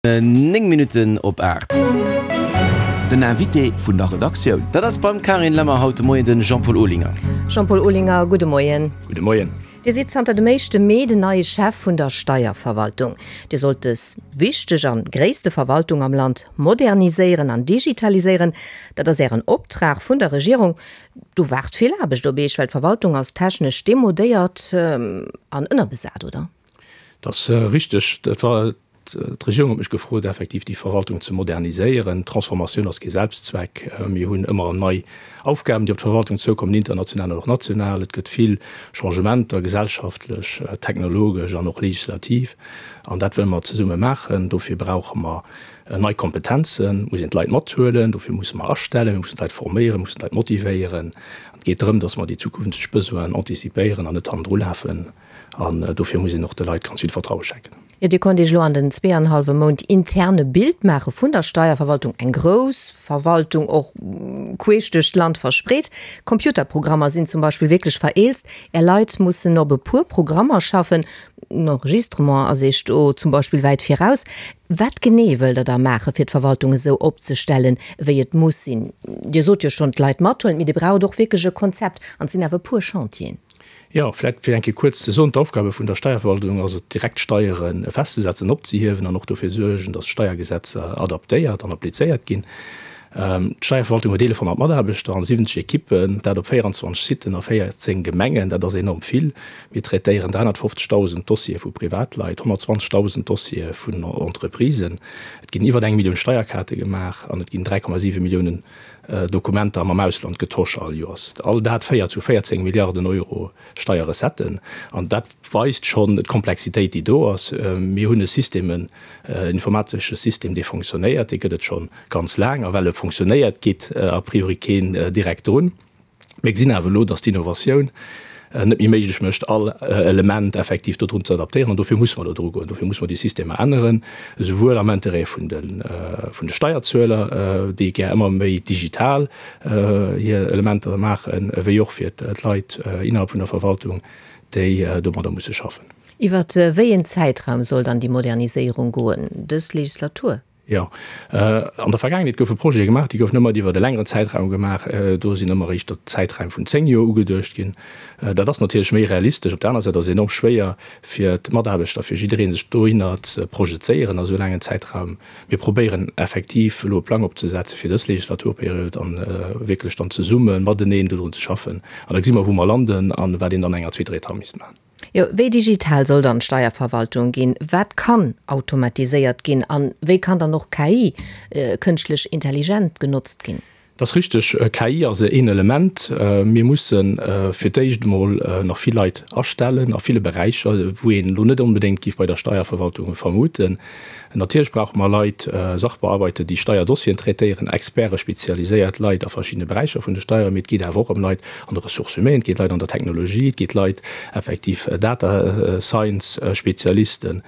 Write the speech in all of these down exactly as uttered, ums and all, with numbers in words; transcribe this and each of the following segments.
Néng Minutten op aacht. Den Invité vun der Redaktioun. Dat ass beim Carine Lemmer haut de Moien de Jean-Paul Olinger. Jean-Paul Olinger, gudde Moien. Gudde Moien. Dir sidd zanter dem éischte Mee den neie Chef vun der Steierverwaltung. Dir sollt dës wichteg an gréisste Verwaltung am Land moderniséieren an digitaliséieren. Dat ass Ären Optrag vun der Regierung. Do waart vill Aarbecht op Iech, well d'Verwaltung ass technesch demodéiert an ënnerbesat, oder? Dat ass richteg. Dat war D'Regierung huet mech gefrot, effektiv déi Verwaltung ze moderniséieren. D'Transformatioun ass kee Selbstzweck. Mir hunn ëmmer erëm nei Aufgaben, déi op d'Verwaltung zoukommen, international an och national. Et gëtt vill Changementer, gesellschaftlech, technologesch an och legislativ. An dat wëlle mer zesumme maachen. Dofir brauche mer nei Kompetenzen, muss een d'Leit mathuelen. Dofir musse mer astellen, mir mussen d'Leit forméieren, mir mussen d'Leit motivéieren. An et geet drëm, datt mer déi zukünfteg Besoinen antizipéieren an net hannendru lafen. An dofir muss een och de Leit ganz vill Vertraue schenken. Jo, Dir konnt Iech elo an den zwee an hallwe Mount intern e Bild maache vun der Steierverwaltung, eng grouss Verwaltung, och queesch duerch d'Land verspreet. Computerprogrammer sinn zum Beispill wierklech vereelzt, Är Leit mussen op e puer Programmer schaffen, den Enregistrement ass Iech do zum Beispill wäit viraus. Wat genee wëllt Der da maache fir d'Verwaltung esou opzestellen, wéi et muss sinn? Dir sot jo schonn, d'Leit mathuelen, mee Dir braucht och wierklech e Konzept an et sinn awer e puer Chantieren. Jo, vläicht fir eng Kéier kuerz ze soen, D'Aufgabe vun der Steierverwaltung ass et, direkt Steiere festzesetzen, opzehiewen an och dofir suergen, datt d'Steiergesetzer adaptéiert an applizéiert ginn. D'Steierverwaltung huet eelefhonnert Mataarbechter an siwwenzeg Ekippen, dat op véierundzwanzeg Siten a véierzéng Gemengen. Dat ass enorm vill. Mir traitéieren dräihonnertfofzegdausend Dossiere vu Privatleit, honnertzwanzegdausend Dossiere vun Entreprisen. Et ginn iwwer eng Millioun Steierkaarte gemaach an et ginn dräi Komma siwe Milliounen Dokumenter mam Ausland getosch all Joers. All dat féiert zu véierzéng Milliarden Euro Steierrecetten. An dat weist schonn d'Komplexitéit, déi do ass. Mir hunn e System, en informatesche System, dee fonctionnéiert. Dee gëtt et scho ganz laang. A well e fonctionnéiert, geet a priori keen direkt drun. Mir gesinn awer elo, dass d'Innovatioun net méi méiglech mécht, all Element effektiv dodrun ze adaptéieren. An dofir musse mer do drugoen. Dofir musse mer déi Systemer änneren, esouwuel am Interêt vun de, vun de Steierzueler, déi gär ëmmer méi digital hir Elementer maachen, wéi och fir d'Leit innerhalb vun der Verwaltung, déi domadder musse schaffen. Iwwer wéi een Zäitraum soll dann déi Moderniséierung goen? Dës Legislatur? Jo. An der Vergaangenheet goufe Projete gemaach, déi goufen ëmmer iwwert e längeren Zäitraum gemaach. Do sinn ëmmer éischter Zäitraim vun zéng Joer ugeduecht ginn. Dat ass natierlech méi realistesch. Op der anerer Säit ass et enorm schwéier fir d'Mataarbechter, fir jidderee sech dohinner ze projezéieren a sou laangen Zäitraum. Mir probéieren effektiv elo e Plang opzesetze fir dës Legislaturperiod a wierklech dann zesumme mateneen dodrun ze schaffen. An da gesi mer, wou mer landen a wat een dann an enger zweeter Etapp misst maachen. Jo, wéi digital soll dann d'Steierverwaltung ginn? Wat kann automatiséiert ginn? A wéi kann dann och K I, kënschtlech Intelligent, genotzt ginn? Dat ass richteg, K I ass een Element. Mir musse fir d'éischt emol nach vill Leit astellen a ville Beräicher, wou een elo net onbedéngt géif bei der Steierverwaltung vermuten. Natierlech brauche mer Leit, Sachbearbeiter, déi Steierdossieren traitéieren, Experte, spezialiséiert Leit a verschiddene Beräicher vun de Steieren. Mee et geet awer och ëm Leit an de Ressources humaines, et geet Leit an der Technologie, et geet Leit effektiv Data Science Spezialisten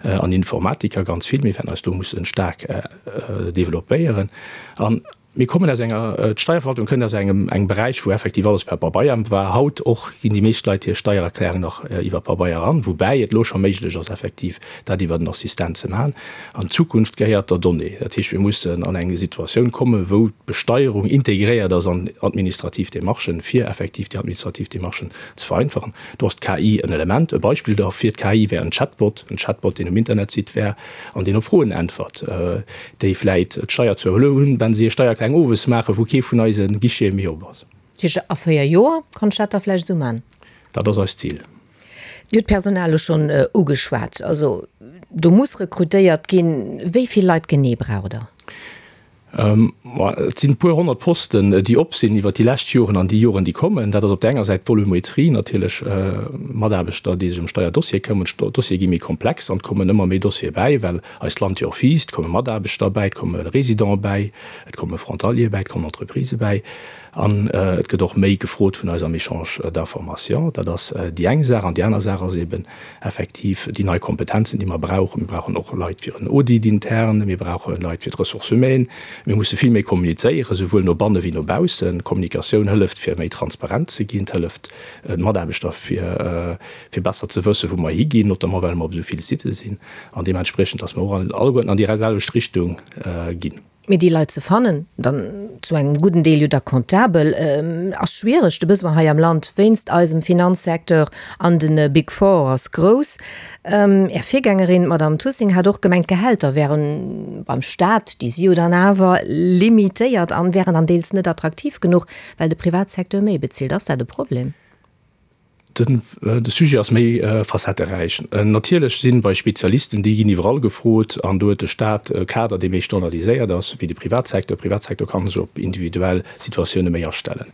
an Informatiker, ganz vill. Mir wäerten eis do musse staark developpéieren. An mir kommen aus enger, d'Steierverwaltung kënnt aus engem engem Beräich, wou effektiv alles per Pabeier war. Haut och ginn déi meescht Leit hir Steiererklärung nach iwwer Pabeier eran, woubäi et elo scho méiglech ass effektiv dat iwwer den Assistent ze maachen. An d'Zukunft gehéiert der Donnée. Dat heescht, mir mussen an eng Situatioun kommen, wou d'Besteierung integréiert ass an administrativ Démarchen, fir effektiv déi administrativ Démarchen ze vereinfachen. Do ass d'K I en Element. E Beispill derfir, d'K I wär en Chatbot, en Chatbot, deen um Internetsite wär an deen op Froen äntwert, déi vläit d'Steierzueler hunn, wa si hir Steiererklärung owes maachen, wou kee vun eise Guichete méi op ass. Dat heescht, a véier Joer kann ech dat da vläicht esou maachen? Dat ass eist Zil. Dir hutt d'Personal elo schonn ugeschwat. Also do muss rekrutéiert ginn. Wéi vill Leit genee braucht Der? Et sinn e puer honnert Posten, déi op sinn iwwert déi lescht Joren an déi Joren, déi kommen. Dat ass op där enger Säit d'Volumetrie, natierlech Mataarbechter, déi sech ëm Steierdossiere këmmen. D'Dossiere gi méi komplex an et kommen ëmmer méi Dossiere bäi, well eist Land jo och wiisst. Et komme Mataarbechter bäi, et komme Résidente bäi, et komme Frontaliere bäi, et kommen Entreprisë bäi. An et gëtt och méi gefrot vun eis am Échange d'informations. Dat ass déi eng Saach. An déi aner Saach ass eben effektiv déi nei Kompetenzen, déi mer brauchen. Mir brauchen och Leit fir en Audit interne, mir brauche Leit fir d'Ressources humaines. Mir musse vill méi kommunizéieren, souwuel no banne wéi no baussen. Kommunikatioun hëlleft, fir méi transparent ze ginn, et hëlleft d'Mataarbechter, fir fir besser ze wëssen, wou mer higinn, notamment well mer op esou vill Sitte sinn an deementspriechend, dass mer och alleguerten an déi selwecht Richtung ginn. Mee déi Leit ze fannen, dann zu engem gudden Deel jo da comptabel, ass schwiereg. De Besoin hei am Land wéinst eisem Finanzsecteur an de Big Four ass grouss. Är Virgängerin, d'Madame Tussing, hat och gemengt, d'Gehälter wären beim Staat, déi si jo dann awer limitéiert an wären dann deels net attraktiv genuch, well de Privatsecteur méi bezilt. Ass dat e Problem? De Sujet ass méi facetteräich. Natierlech sinn bei Spezialisten, déi ginn iwwerall gefrot an do huet de Staat e Kader, dee méi standardiséiert ass wéi de Privatsecteur. De Privatsecteur kann sech op individuell Situatioune méi astellen.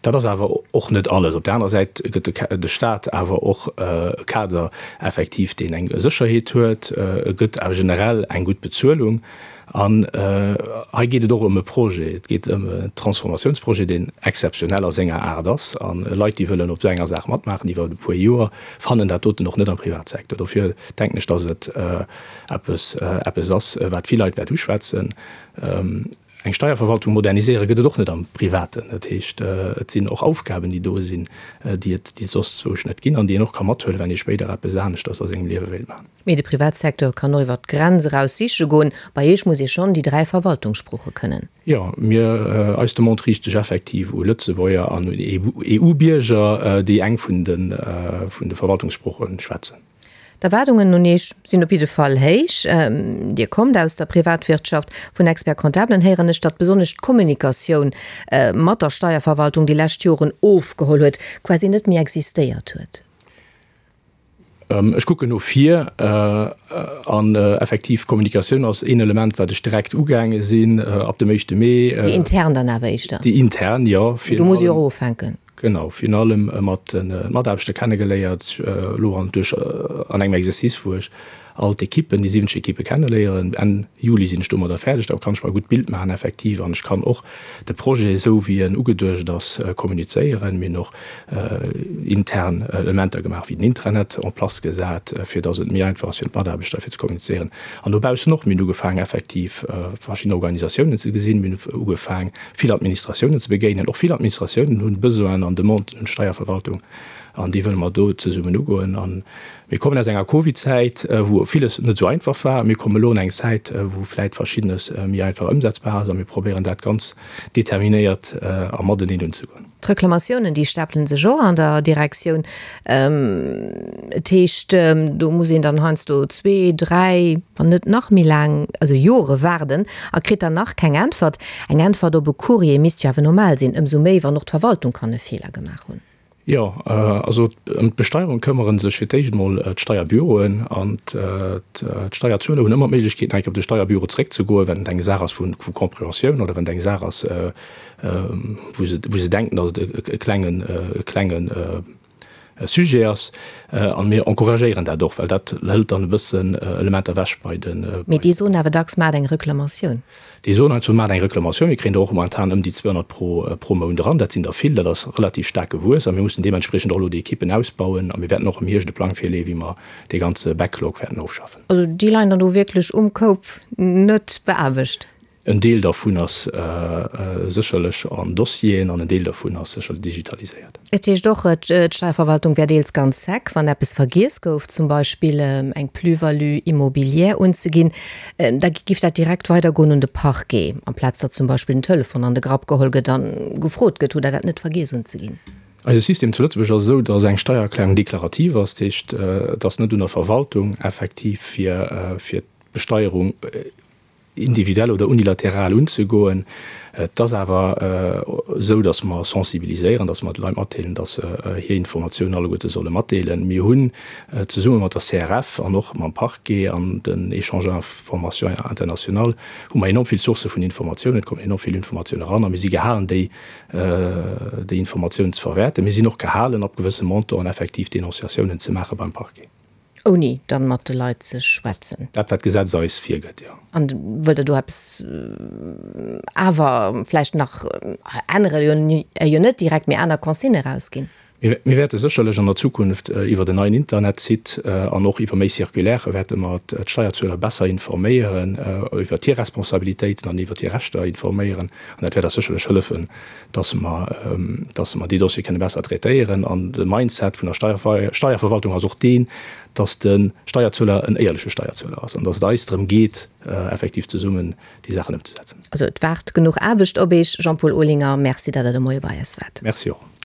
Dat ass awer och net alles. Op där anerer Säit gëtt de Staat awer och e Kader effektiv, deen eng Sécherheet huet. E gëtt awer generell eng gutt Bezuelung. An hei geet et och ëm e Projet. Et geet ëm en Transformatiounsprojet, deen exzeptionell a senger Aart ass. A Leit, déi wëllen op esou enger Saach matmaachen iwwer e puer Joer, fannen dat doten och net am Privatsecteur. Dofir denken ech, dass et eppes eppes ass, wat vill Leit wäert uschwätzen. Eng Steierverwaltung moderniséiere gëtt et och net am Privaten. Dat heescht, et sinn och Aufgaben, déi do sinn, déi et déi soss zwousch net ginn an déi een och ka mathuelen, wann ee spéider eppes aneschters a sengem Liewe wéilt maachen. Mee de Privatsecteur kann och iwwer d'Grenz eraus siche goen. Bei Iech muss ee schonn déi dräi Verwaltungssprooche kënnen. Jo, mir, eis Demande riicht sech effektiv u Lëtzebuerger an un EU-Bierger, déi eng vun de vun de Verwaltungssprooche schwätzen. D'Erwaardungen un Iech sinn op jidde Fall héich. Dir kommt aus der Privatwirtschaft. Vun Expert-Comptablen héieren ech, datt besonnesch d'Kommunikatioun mat der Steierverwaltung déi lescht Joren ofgeholl huet, quasi net méi existéiert huet. Ech kucken no vir an effektiv, Kommunikatioun ass een Element, wat ech direkt ugaange sinn ab dem éischte Mee. Déi intern dann awer éischter? Déi intern, jo. Do muss ee jo och ufänken. Genau, virun allem mat de Mataarbechter kennegeléiert, elo an duerch an engem Exercice, wou ech all d'Ekippen, déi siwwenzeg Ekippe kenneléieren. Enn Juli sinn ech domadder fäerdeg, da kann ech mer e gutt Bild maachen effektiv an ech kann och de Projet, esou wéi en ugeduecht ass, kommunizéieren. Mir hunn och intern Elementer gemaach, wéi den Intranet en place gesat, fir datt et méi einfach ass fir d'Mataarbechter fir ze kommunizéieren. An dobaussen och, mir hunn ugefaangen effektiv verschidden Organisatiounen ze gesinn, mir hunn ugefaang vill Administratiounen ze begéinen. Och vill Administratiounen hunn Besoinen an Demanden un d'Steierverwaltung an déi wëlle mer do zesummen ugoen. A mir kommen aus enger Covid-Zäit, wou villes net esou einfach war. Mir kommen elo an eng Zäit, wou vläit Verschiddenes méi einfach ëmsetzbar ass a mir probéieren dat ganz determinéiert a mateneen unzegoen. D'Reklamatiounen, déi stapelen sech och an der Direktioun. Et heescht, do muss een dann heiansdo zwee, dräi, wann net nach méi laang, also Jore waarden a kritt dann nach keng Äntwert. Eng Äntwert op e Courrier misst jo awer normal sinn, ëmsou méi, wann och d'Verwaltung kann e Feeler gemaach hunn. Jo, also ëm d'Besteierung këmmere sech fir d'éischt emol d'Steierbüroen an d'Steierzueler hunn ëmmer d'Méiglechkeet, nach eng Kéier op de Steierbüro zeréckzegoen, wenn et eng Saach ass vu Compréhensioun oder wenn et eng Saach ass, wou se wou se denken, datt et e klengen, e klenge Sujet ass. A mir encouragéieren dat och, well dat hëlt dann e bëssen Elementer ewech bei de. Mee déi soen awer dacks, Maacht eng Reklamatioun. Déi soen eis, Maacht eng Reklamatioun. Mir kréien der och momentan ëm déi zweehonnert pro pro Mount eran. Dat sinn der vill, dat ass relativ staark gewuess a mir mussen deementspriechend och elo déi Ekippen ausbauen a mir wäerten och am Hierscht e Plang virleeën, wéi mer dee ganze Backlog wäerten ofschaffen. Also déi leien dann do wierklech um Koup net beaarbecht? En Deel dervun ass sécherlech an Dossieren an en Deel dervun ass sécherlech digitaliséiert. Et heescht och, d'Steierverwaltung wär deels ganz sec, wann eppes vergiess gouf, zum Beispill eng Plus-value immobilière unzeginn, da giff dat direkt weidergoen un de Parquet, amplaz datt zum Beispill den Telefon an de Grapp geholl gëtt a gefrot gëtt, Hutt Der dat net vergiess unzeginn? Eise System zu Lëtzebuerg ass esou, datt eng Steiererklärung deklarativ ass, dat heescht, et ass net un der Verwaltung effektiv fir d'Besteierung individuell oder unilateral unzegoen. Et ass awer esou, datt mer sensibiliséieren, datt mer de Leit matdeelen, datt se hir Informatiounen alleguerte solle matdeelen. Mir hunn zesumme mat der C R F an och mam Parquet an den Échange d'informations international hu mer enorm vill Sourcë vun Informatiounen. Et kommen enorm vill Informatiounen eran a mir si gehalen, déi déi Informatiounen ze verwäerten. Mir sinn och gehalen, ab gewësse Montanten effektiv Denonciatiounen ze maache beim Parquet. Ouni dann mat de Leit ze schwätzen? Dat wat d'Gesetz eis virgëtt, jo. An wëllt Der do eppes awer vläicht nach änneren, jo net direkt, mee aner Consignë erausginn? Mir wäerte sécherlech an der Zukunft iwwert en neien Internetsite an och iwwer méi Circulairë wäerte mer d'Steierzueler besser informéieren, iwwert hir Responsabilitéiten an iwwert hir Rechter informéieren. An dat wäert eis sécherlech hëllefen, dass mer, dass mer déi Dossiere kënne besser traitéieren. An de Mindset vun der Steierverwaltung ass och deen, dass de Steierzueler en éierleche Steierzueler ass an dass et eis drëm geet, effektiv zesummen déi Saachen ëmzesetzen. Also et waart genuch Aarbecht op Iech, Jean-Paul Olinger. Merci, datt Der de Moie bei eis waart. Merci och.